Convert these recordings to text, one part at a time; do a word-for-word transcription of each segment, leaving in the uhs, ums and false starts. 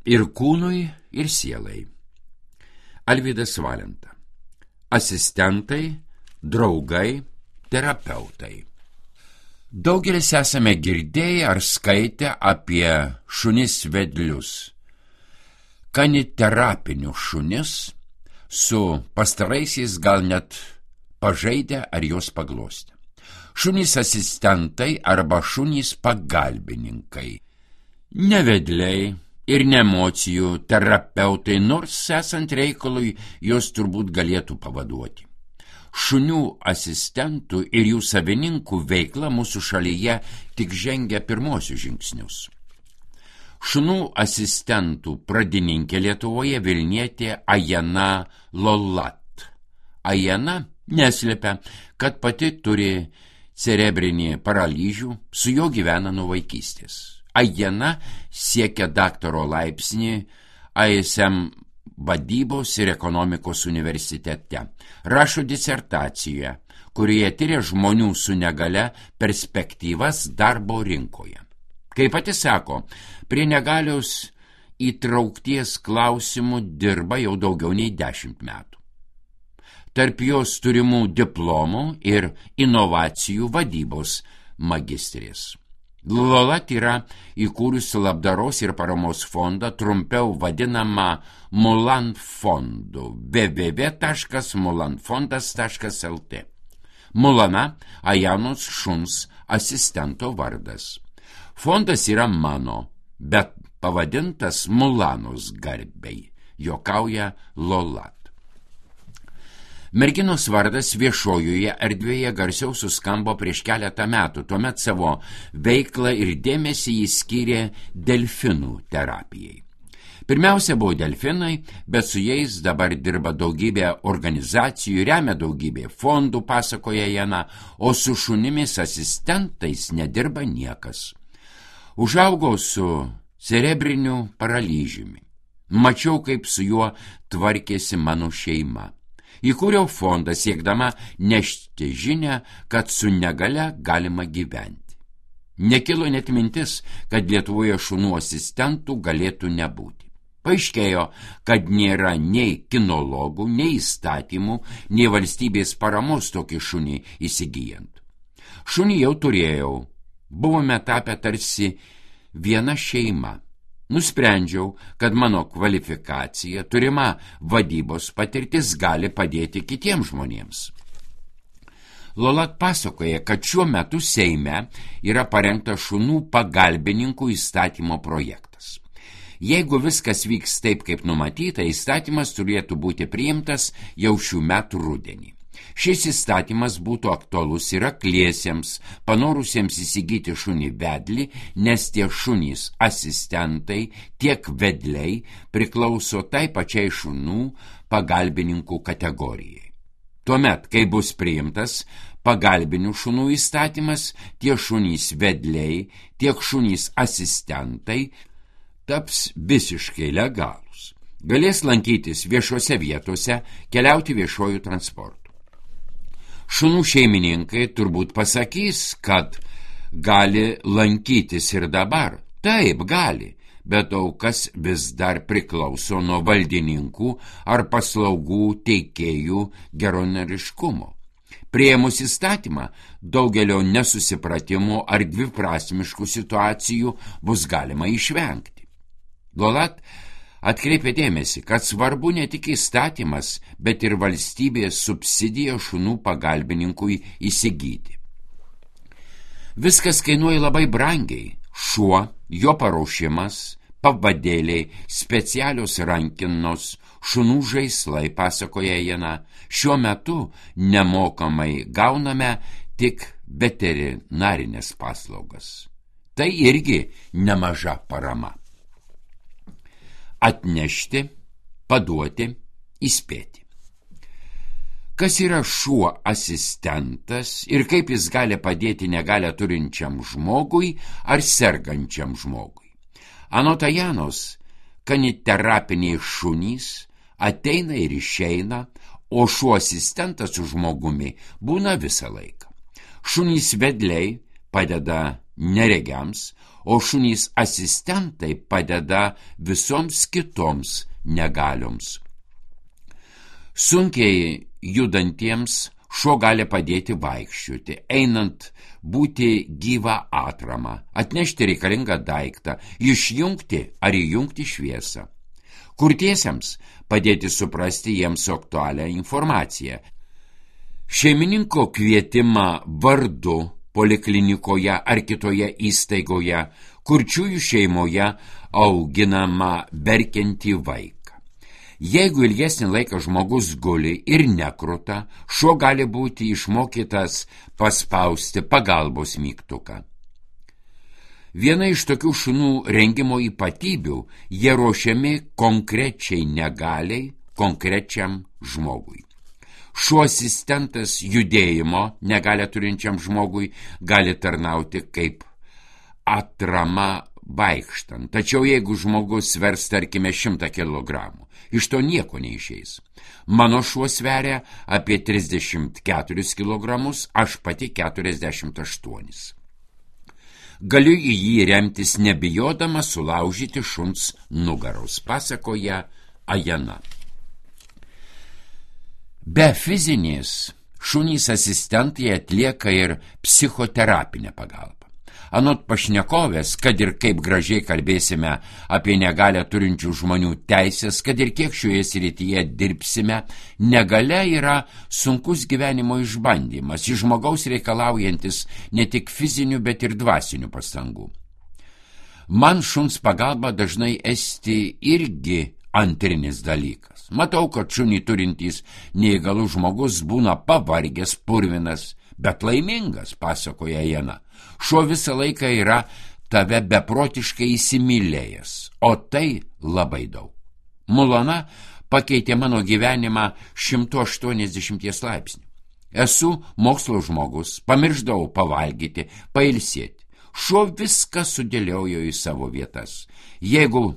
ir kūnui, ir sielai. Alvydas Valenta. Asistentai, draugai, terapeutai. Daugelis esame girdėję ar skaitę apie šunis vedlius. Kaniterapinius šunis, su pastaraisiais gal net pažaidę ar juos paglostę. Šunys asistentai arba šunys pagalbininkai. Ne vedliai ir ne emocijų terapeutai, nors esant reikalui jos turbūt galėtų pavaduoti. Šunių asistentų ir jų savininkų veikla mūsų šalyje tik žengia pirmosius žingsnius. Šunų asistentų pradininkė Lietuvoje vilnietė Ajana Lolat. Ajana neslėpia, kad pati turi cerebrinį paralyžių, su juo gyvena nuo vaikystės. Ajana siekia daktaro laipsnį A S M vadybos ir ekonomikos universitete. Rašo disertaciją, kurioje tyria žmonių su negalia perspektyvas darbo rinkoje. Kaip pati sako, prie negalios įtraukties klausimų dirba jau daugiau nei dešimt metų. Tarp jos turimų diplomų ir inovacijų vadybos magistrės. Lolat yra įkūrusi labdaros ir paramos fondą, trumpiau vadinamą Mulan fondu w w w taškas mulan fondas taškas l t. Mulana Ajanos šuns asistento vardas. Fondas yra mano, bet pavadintas Mulanos garbei, juokauja Lolat. Merginos vardas viešojoje erdvėje garsiau suskambo prieš keletą metų, tuomet savo veiklą ir dėmesį jis skyrė delfinų terapijai. Pirmiausia buvo delfinai, bet su jais dabar dirba daugybė organizacijų, remia daugybė fondų, pasakoja Jana, o su šunimis asistentais nedirba niekas. Užaugau su cerebriniu paralyžiumi. Mačiau, kaip su juo tvarkėsi mano šeima. Įkūriau fondą siekdama nešti žinią, kad su negalia galima gyventi. Nekilo net mintis, kad Lietuvoje šunų asistentų galėtų nebūti. Paaiškėjo, kad nėra nei kinologų, nei įstatymų, nei valstybės paramos tokį šunį įsigijant. Šunį jau turėjau, buvome tapę tarsi viena šeima. Nusprendžiau, kad mano kvalifikacija, turima vadybos patirtis gali padėti kitiems žmonėms. Lolat pasakoja, kad šiuo metu Seime yra parengtas šunų pagalbininkų įstatymo projektas. Jeigu viskas vyks taip, kaip numatyta, įstatymas turėtų būti priimtas jau šių metų rudenį. Šis įstatymas būtų aktualus ir akliesiems, panorusiems įsigyti šunį vedlį, nes tie šunys asistentai, tiek vedliai priklauso tai pačiai šunų pagalbininkų kategorijai. Tuomet, kai bus priimtas pagalbinių šunų įstatymas, tie šunys vedliai, tiek šunys asistentai taps visiškai legalūs. Galės lankytis viešose vietose, keliauti viešojų transportu. Šunų šeimininkai turbūt pasakys, kad gali lankytis ir dabar. Taip, gali, bet daug kas vis dar priklauso nuo valdininkų ar paslaugų teikėjų geronoriškumo. Priėmus įstatymą, daugelio nesusipratimų ar dviprasmiškų situacijų bus galima išvengti. Lolat atkreipė dėmesį, kad svarbu ne tik įstatymas, bet ir valstybės subsidija šunų pagalbininkui įsigyti. Viskas kainuoja labai brangiai. Šuo, jo paruošimas, pavadėliai, specialios rankinos, šunų žaislai, pasakoja Jana. Šiuo metu nemokamai gauname tik veterinarinės paslaugas. Tai irgi nemaža parama. Atnešti, paduoti, įspėti. Kas yra šuo asistentas ir kaip jis gali padėti negalią turinčiam žmogui ar sergančiam žmogui? Anot Ajanos, kaniterapiniai šunys ateina ir išeina, o šuo asistentas su žmogumi būna visą laiką. Šunys vedliai padeda neregiams, o šunys asistentai padeda visoms kitoms negalioms. Sunkiai judantiems šuo gali padėti vaikščioti, einant būti gyvą atramą, atnešti reikalingą daiktą, išjungti ar įjungti šviesą. Kurtiesiems padėti suprasti jiems aktualią informaciją. Šeimininko kvietimą vardu poliklinikoje ar kitoje įstaigoje, kurčiųjų šeimoje auginama verkiantį vaiką. Jeigu ilgesnį laiką žmogus guli ir nekruta, šuo gali būti išmokytas paspausti pagalbos mygtuką. Viena iš tokių šunų rengimo ypatybių, jie ruošiami konkrečiai negaliai, konkrečiam žmogui. Šuo asistentas judėjimo negalę turinčiam žmogui gali tarnauti kaip atrama vaikštant. Tačiau jeigu žmogus svers, tarkime, šimtą kilogramų, iš to nieko neišeis. Mano šuo sveria apie trisdešimt keturis kilogramus, aš pati keturiasdešimt aštuonis. Galiu į jį remtis nebijodama sulaužyti šuns nugaros, pasakoja Ajana. Be fizinės, šunys asistentai atlieka ir psichoterapinę pagalbą. Anot pašnekovės, kad ir kaip gražiai kalbėsime apie negalią turinčių žmonių teisės, kad ir kiek šioje srityje dirbsime, negalia yra sunkus gyvenimo išbandymas, iš žmogaus reikalaujantis ne tik fizinių, bet ir dvasinių pastangų. Man šuns pagalba dažnai esti irgi antrinis dalykas. Matau, kad šunį turintys neįgalus žmogus būna pavargęs, purvinas, bet laimingas, pasakoja Jana. Šuo visą laiką yra tave beprotiškai įsimylėjęs, o tai labai daug. Mulana pakeitė mano gyvenimą šimtu aštuoniasdešimties laipsnių. Esu mokslo žmogus, pamirždavau pavalgyti, pailsėti. Šuo viską sudėliojo į savo vietas. Jeigu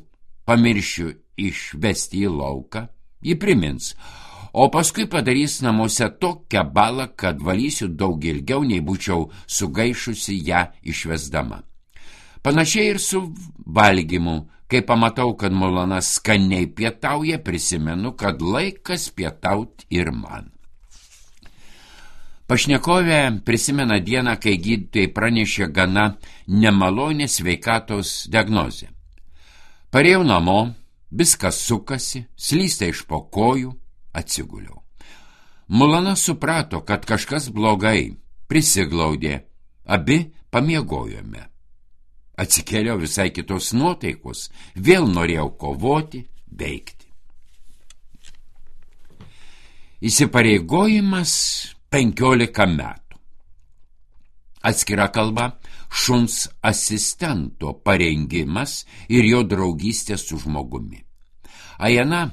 pamiršiu išvesti į lauką, jį primins, o paskui padarys namuose tokią balą, kad valysiu daug ilgiau, nei būčiau sugaišusi ją išvesdama. Panašiai ir su valgymu. Kai pamatau, kad Mulana skaniai pietauja, prisimenu, kad laikas pietauti ir man. Pašnekovė prisimena dieną, kai gydytojai pranešė gana nemalonę sveikatos diagnozę. Parėjau namo, viskas sukasi, slysta iš po kojų, atsiguliau. Mulana suprato, kad kažkas blogai, prisiglaudė, abi pamiegojome. Atsikėliau visai kitos nuotaikos, vėl norėjau kovoti, veikti. Įsipareigojimas penkiolika metų. Atskira kalba šuns asistento parengimas ir jo draugystė su žmogumi. Ajana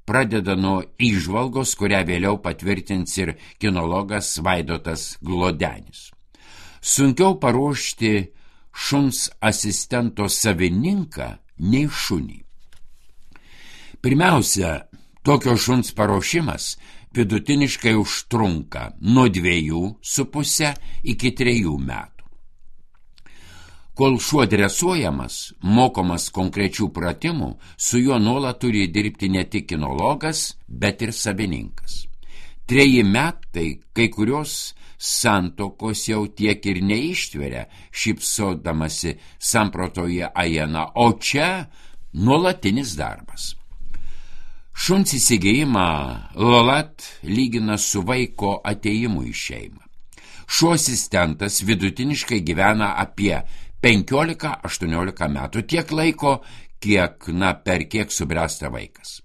pradeda nuo įžvalgos, kurią vėliau patvirtins ir kinologas Vaidotas Glodenis. Sunkiau paruošti šuns asistento savininką nei šunį. Pirmiausia, tokio šuns paruošimas vidutiniškai užtrunka nuo dviejų su puse iki trejų metų. Kol šuo dresuojamas, mokomas konkrečių pratimų, su juo nuolat turi dirbti ne tik kinologas, bet ir savininkas. Treji metai kai kurios santokos jau tiek ir neištveria, šypsodamasi samprotoje Ajana, o čia nuolatinis darbas. Šuns įsigijimą Lolat lygina su vaiko atėjimu į šeimą. Šuo asistentas vidutiniškai gyvena apie penkiolika aštuoniolika metų, tiek laiko, kiek, na, per kiek subręsta vaikas.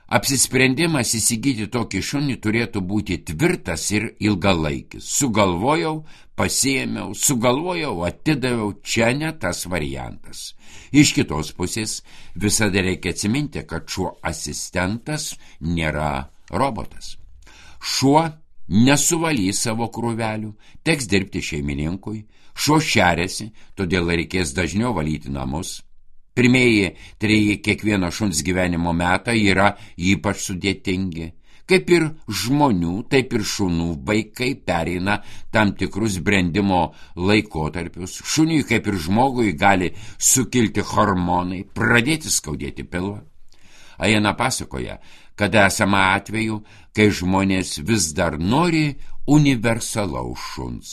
Apsisprendimas įsigyti tokį šunį turėtų būti tvirtas ir ilgalaikis. Sugalvojau, pasiėmiau, sugalvojau, atidaviau, čia ne tas variantas. Iš kitos pusės visada reikia atsiminti, kad šuo asistentas nėra robotas. Šuo nesuvalys savo krūvelių, teks dirbti šeimininkui, šuo šeriasi, todėl reikės dažniau valyti namus. Pirmieji treji kiekvieno šuns gyvenimo metai yra ypač sudėtingi. Kaip ir žmonių, taip ir šunų vaikai pereina tam tikrus brendimo laikotarpius. Šuniui, kaip ir žmogui, gali sukilti hormonai, pradėti skaudėti pilvą. Ajena pasakoja, kad esama atveju, kai žmonės vis dar nori universalaus šuns.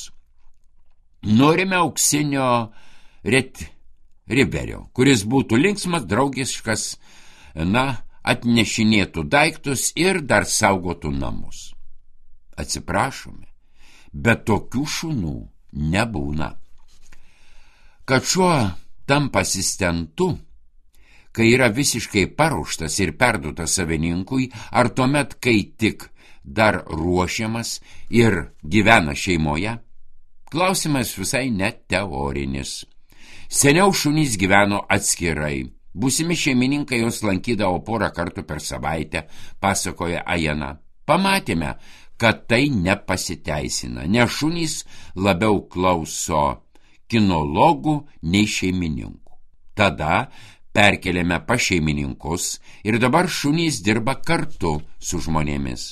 Norime auksinio retrieverio, kuris būtų linksmas, draugiškas, na, atnešinėtų daiktus ir dar saugotų namus. Atsiprašome, bet tokių šunų nebūna. Kad šuo tampa asistentu, kai yra visiškai paruoštas ir perduotas savininkui, ar tuomet, kai tik dar ruošiamas ir gyvena šeimoje? Klausimas visai net teorinis. Seniau šunys gyveno atskirai. Būsimi šeimininkai jos lankydavo porą kartų per savaitę, pasakoja Ajena. Pamatėme, kad tai nepasiteisina, nes šunys labiau klauso kinologų nei šeimininkų. Tada perkeliame pas šeimininkus ir dabar šunys dirba kartu su žmonėmis.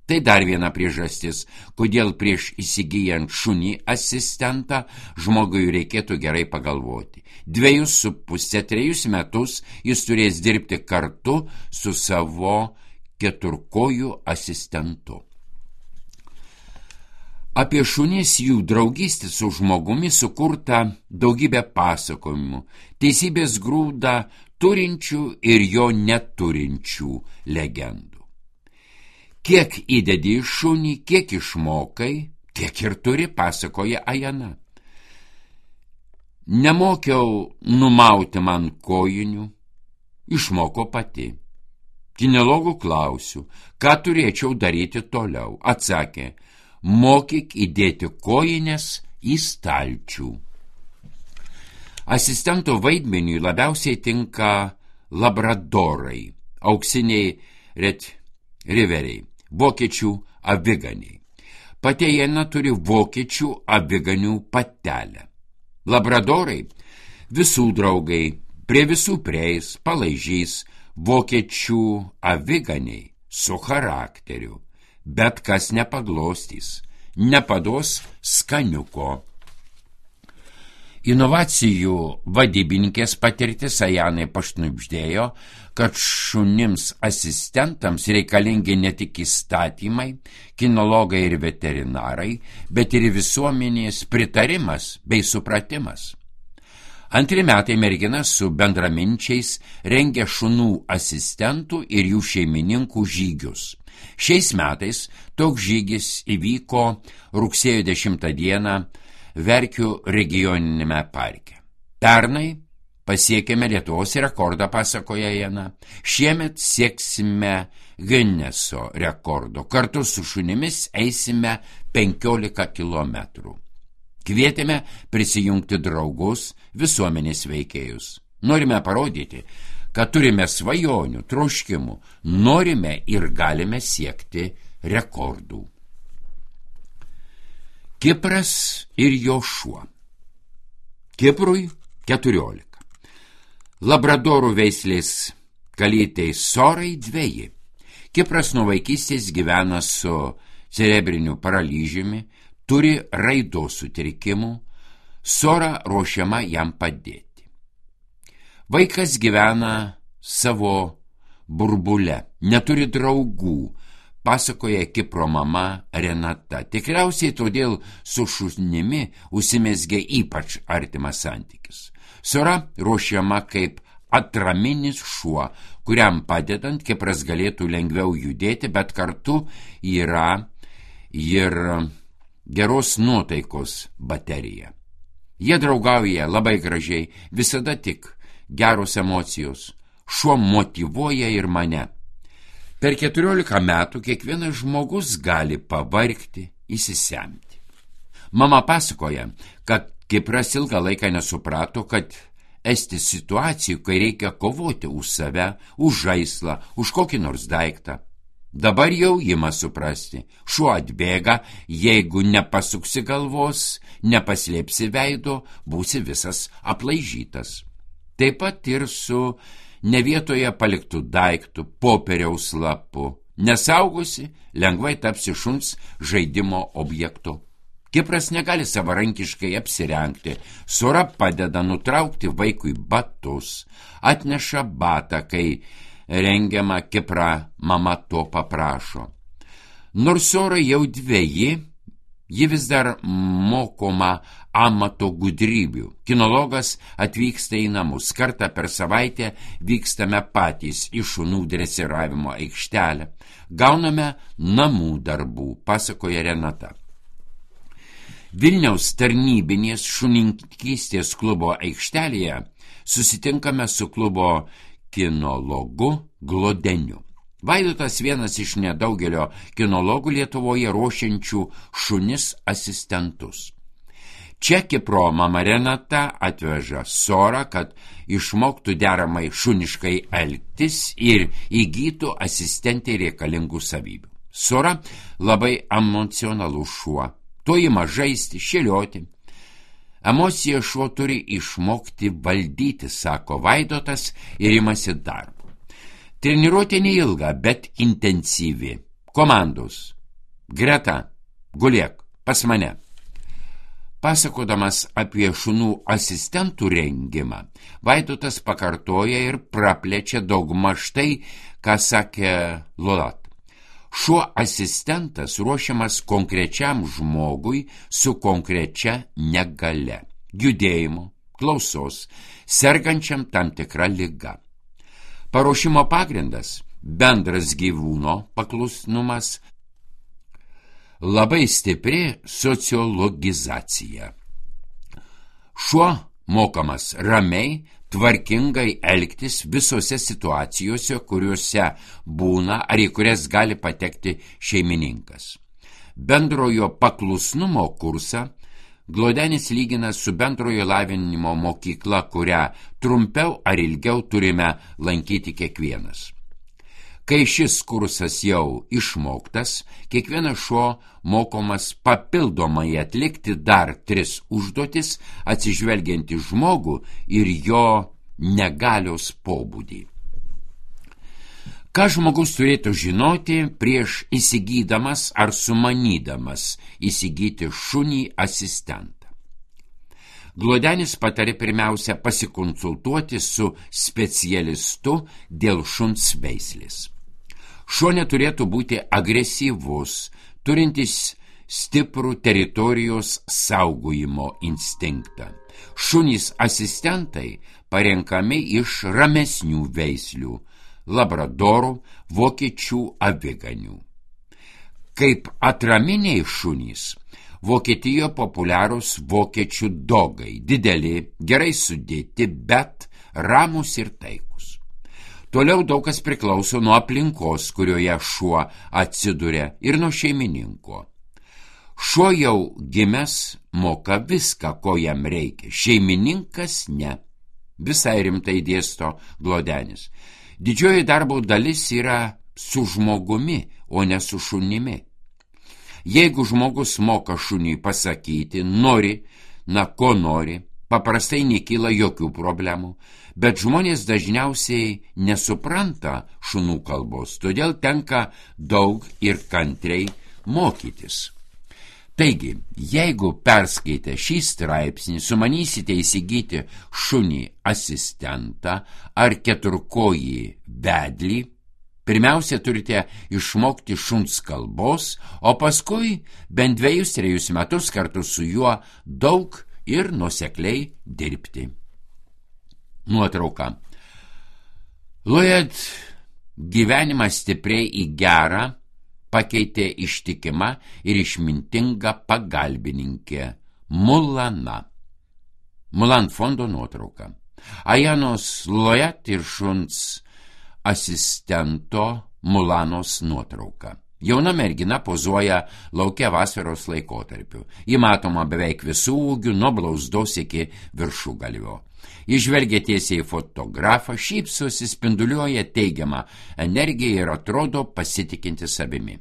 Tai dar viena priežastis, kodėl prieš įsigijant šunį asistentą žmogui reikėtų gerai pagalvoti. Dviejus su pusė, trejus metus jis turės dirbti kartu su savo keturkojų asistentu. Apie šunis jų draugystę su žmogumi sukurta daugybė pasakojimų, teisybės grūdą turinčių ir jo neturinčių legendų. Kiek įdedi į šunį, kiek išmokai, tiek ir turi, pasakoja Ajena. Nemokiau numauti man kojinių, išmoko pati. Kinologų klausiu, ką turėčiau daryti toliau. Atsakė, mokyk įdėti kojines į stalčių. Asistento vaidmeniui labiausiai tinka labradorai, auksiniai retriveriai, vokiečių aviganiai. Pati Ajena turi vokiečių aviganių patelę. Labradorai visų draugai, prie visų prieis, palaižys, vokiečių aviganiai su charakteriu, bet kas nepaglostys, nepados skaniuko. Inovacijų vadybininkės patirtis Ajanai pašnibždėjo, kad šunims asistentams reikalingi ne tik įstatymai, kinologai ir veterinarai, bet ir visuomenės pritarimas bei supratimas. Antri metai mergina su bendraminčiais rengia šunų asistentų ir jų šeimininkų žygius. Šiais metais toks žygis įvyko rugsėjo dešimtą dieną Verkių regioninėme parke. Pernai pasiekėme Lietuvos rekordą, pasakoja Ajena. Šiemet sieksime Gineso rekordo. Kartu su šunimis eisime penkiolika kilometrų. Kvietėme prisijungti draugus, visuomenės veikėjus. Norime parodyti, kad turime svajonių, troškimų, norime ir galime siekti rekordų. Kipras ir jo šuo. Kiprui keturiolika. Labradorų veislės kalytei Sorai dveji. Kipras nuo vaikystės gyvena su cerebriniu paralyžiumi, turi raidos sutrikimų, Sora ruošiama jam padėti. Vaikas gyvena savo burbule, neturi draugų, pasakoja Kipro mama Renata. Tikriausiai todėl su šunimi užsimezgė ypač artimas santykis. Sora ruošiama kaip atraminis šuo, kuriam padedant Kipras galėtų lengviau judėti, bet kartu yra ir geros nuotaikos baterija. Jie draugauja labai gražiai, visada tik geros emocijos. Šuo motyvuoja ir mane. Per keturiolika metų kiekvienas žmogus gali pavargti, įsisemti. Mama pasakoja, kad Kipras ilgą laiką nesuprato, kad esti situacijų, kai reikia kovoti už save, už žaislą, už kokį nors daiktą. Dabar jau ima suprasti, šuo atbėga, jeigu nepasuksi galvos, nepaslėpsi veido, būsi visas aplaižytas. Taip pat ir su ne vietoje paliktų daiktų, popieriaus lapu, Nesaugosi, lengvai tapsi šuns žaidimo objektu. Kipras negali savarankiškai apsirengti. Sora padeda nutraukti vaikui batus, atneša batą, kai rengiama Kiprą mama to paprašo. Nors Sora jau dveji, ji vis dar mokoma amato gudrybių. Kinologas atvyksta į namus. Kartą per savaitę vykstame patys į šunų dresiravimo aikštelę. Gauname namų darbų, pasakoja Renata. Vilniaus tarnybinės šunininkystės klubo aikštelėje susitinkame su klubo kinologu Glodeniu. Vaidotas vienas iš nedaugelio kinologų Lietuvoje ruošiančių šunis asistentus. Čia Kipro mama Renata atveža Sorą, kad išmoktų deramai šuniškai elgtis ir įgytų asistentei reikalingų savybių. Sora labai emocionalus šuo. To ima žaisti, šėlioti. Emociją šuo turi išmokti valdyti, sako Vaidotas, ir imasi darbo. Treniruotė neilga, bet intensyvi. Komandos. Greta, gulėk, pas mane. Pasakodamas apie šunų asistentų rengimą, Vaidotas pakartoja ir praplečia daugmaž tai, ką sakė Lolat. Šuo asistentas ruošiamas konkrečiam žmogui su konkrečia negale, judėjimo, klausos, sergančiam tam tikra liga. Paruošimo pagrindas – bendras gyvūno paklusnumas, labai stipri sociologizacija. Šuo mokamas ramiai, tvarkingai elgtis visose situacijose, kuriuose būna ar į kurias gali patekti šeimininkas. Bendrojo paklusnumo kursą Glodenis lygina su bendrojo lavinimo mokykla, kurią trumpiau ar ilgiau turime lankyti kiekvienas. Kai šis kursas jau išmoktas, kiekvienas šuo mokomas papildomai atlikti dar tris užduotis, atsižvelgiant į žmogų ir jo negalios pobūdį. Ką žmogus turėtų žinoti prieš įsigydamas ar sumanydamas įsigyti šunį asistentą? Glodenis patarė pirmiausia pasikonsultuoti su specialistu dėl šuns veislės. Šuo neturėtų būti agresyvus, turintis stiprų teritorijos saugojimo instinktą. Šunys asistentai parenkami iš ramesnių veislių – labradorų, vokiečių aviganių. Kaip atraminiai šunys, Vokietijoje populiarūs vokiečių dogai, dideli, gerai sudėti, bet ramūs ir taikus. Toliau daug kas priklauso nuo aplinkos, kurioje šuo atsiduria, ir nuo šeimininko. Šuo jau gimęs moka viską, ko jam reikia, šeimininkas ne. Visai rimtai dėsto Glodenis. Didžioji darbo dalis yra su žmogumi, o ne su šunimi. Jeigu žmogus moka šuniui pasakyti, nori, na ko nori, paprastai nekyla jokių problemų, bet žmonės dažniausiai nesupranta šunų kalbos, todėl tenka daug ir kantriai mokytis. Taigi, jeigu perskaitę šį straipsnį sumanysite įsigyti šunį asistentą ar keturkojį vedlį, pirmiausia turite išmokti šuns kalbos, o paskui bent dviejus trejus metus kartu su juo daug ir nuosekliai dirbti. Nuotrauka. Lloyd gyvenimą stipriai į gerą pakeitė ištikima ir išmintinga pagalbininkė Mulana. Mulan fondo nuotrauka. Ajanos Lloyd ir šuns asistento Mulanos nuotrauka. Jauna mergina pozuoja lauke vasaros laikotarpiu. Ji matoma beveik visų ūgių, nuo blauzdos iki viršugalvio. Ji žvelgia tiesiai į fotografą, šypsosi, spinduliuoja teigiamą energiją ir atrodo pasitikinti savimi.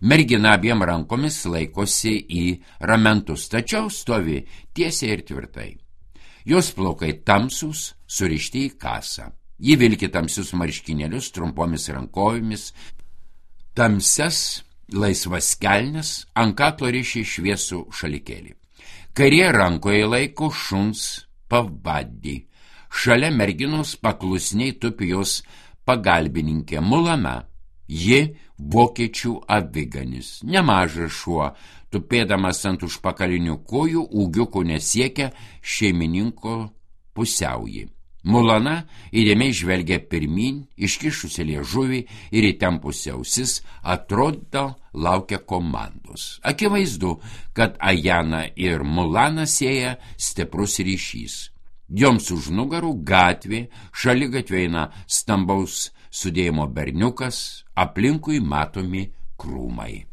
Mergina abiem rankomis laikosi į ramentus, tačiau stovi tiesiai ir tvirtai. Jos plaukai tamsūs, surišti į kasą. Ji vilki tamsius marškinėlius trumpomis rankovėmis, tamsias laisvas kelnes, ant kaklo riši šviesų šalikėlį. Kairė rankoje laiko šuns pavadį. Šalia merginos paklusniai tupi jos pagalbininkė Mulana. Ji vokiečių aviganis. Nemažas šuo, tupėdamas ant užpakalinių kojų, ūgiukų nesiekia šeimininko pusiauji. Mulana įdėmiai žvelgia pirmin, iškišusi liežuvį ir įtempusi ausis, atrodo laukia komandos. Akivaizdu, kad Ajaną ir Mulaną sieja stiprus ryšys. Joms už nugarų gatvė, šaligatvė eina stambaus sudėjimo berniukas, aplinkui matomi krūmai.